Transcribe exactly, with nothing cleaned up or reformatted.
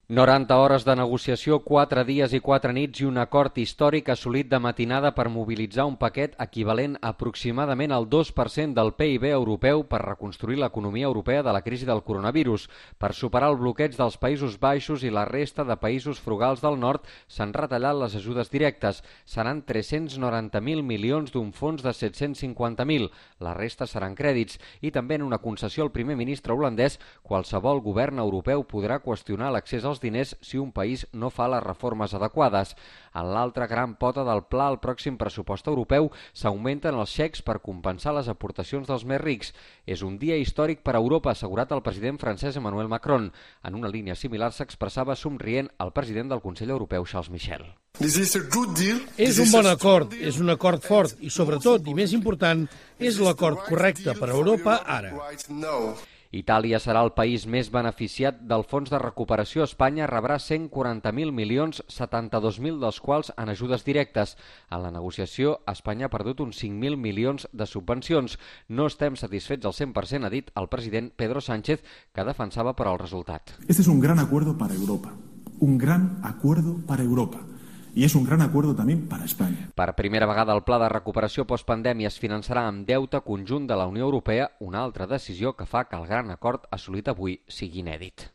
noranta hores de negociació, quatre dies i quatre nits i un acord històric assolit de matinada per mobilitzar un paquet equivalent aproximadament al dos per cent del P I B europeu per reconstruir l'economia europea de la crisi del coronavirus. Per superar el bloqueig dels Països Baixos i la resta de països frugals del nord s'han retallat les ajudes directes. Seran tres-cents noranta mil milions d'un fons de set-cents cinquanta mil. La resta seran crèdits. I també en una concessió al primer ministre holandès, qualsevol govern europeu podrà qüestionar l'accés als diners si un país no fa les reformes adequades. En l'altra gran pota del pla, el pròxim pressupost europeu, s'augmenten els xecs per compensar les aportacions dels més rics. És un dia històric per a Europa, ha assegurat el president francès Emmanuel Macron. En una línia similar s'expressava somrient el president del Consell Europeu, Charles Michel. És un bon acord, és un acord fort i, sobretot, i més important, és l'acord correcte per a Europa ara. Itàlia serà el país més beneficiat del fons de recuperació. Espanya rebrà cent quaranta mil milions, setanta-dos mil dels quals en ajudes directes. En la negociació, Espanya ha perdut uns cinc mil milions de subvencions. No estem satisfets al cent per cent, ha dit el president Pedro Sánchez, que defensava però el resultat. Este es un gran acuerdo para Europa, un gran acuerdo para Europa. I és un gran acord també per a Espanya. Per primera vegada el pla de recuperació postpandèmia es finançarà amb deute conjunt de la Unió Europea, una altra decisió que fa que el gran acord assolit avui sigui inèdit.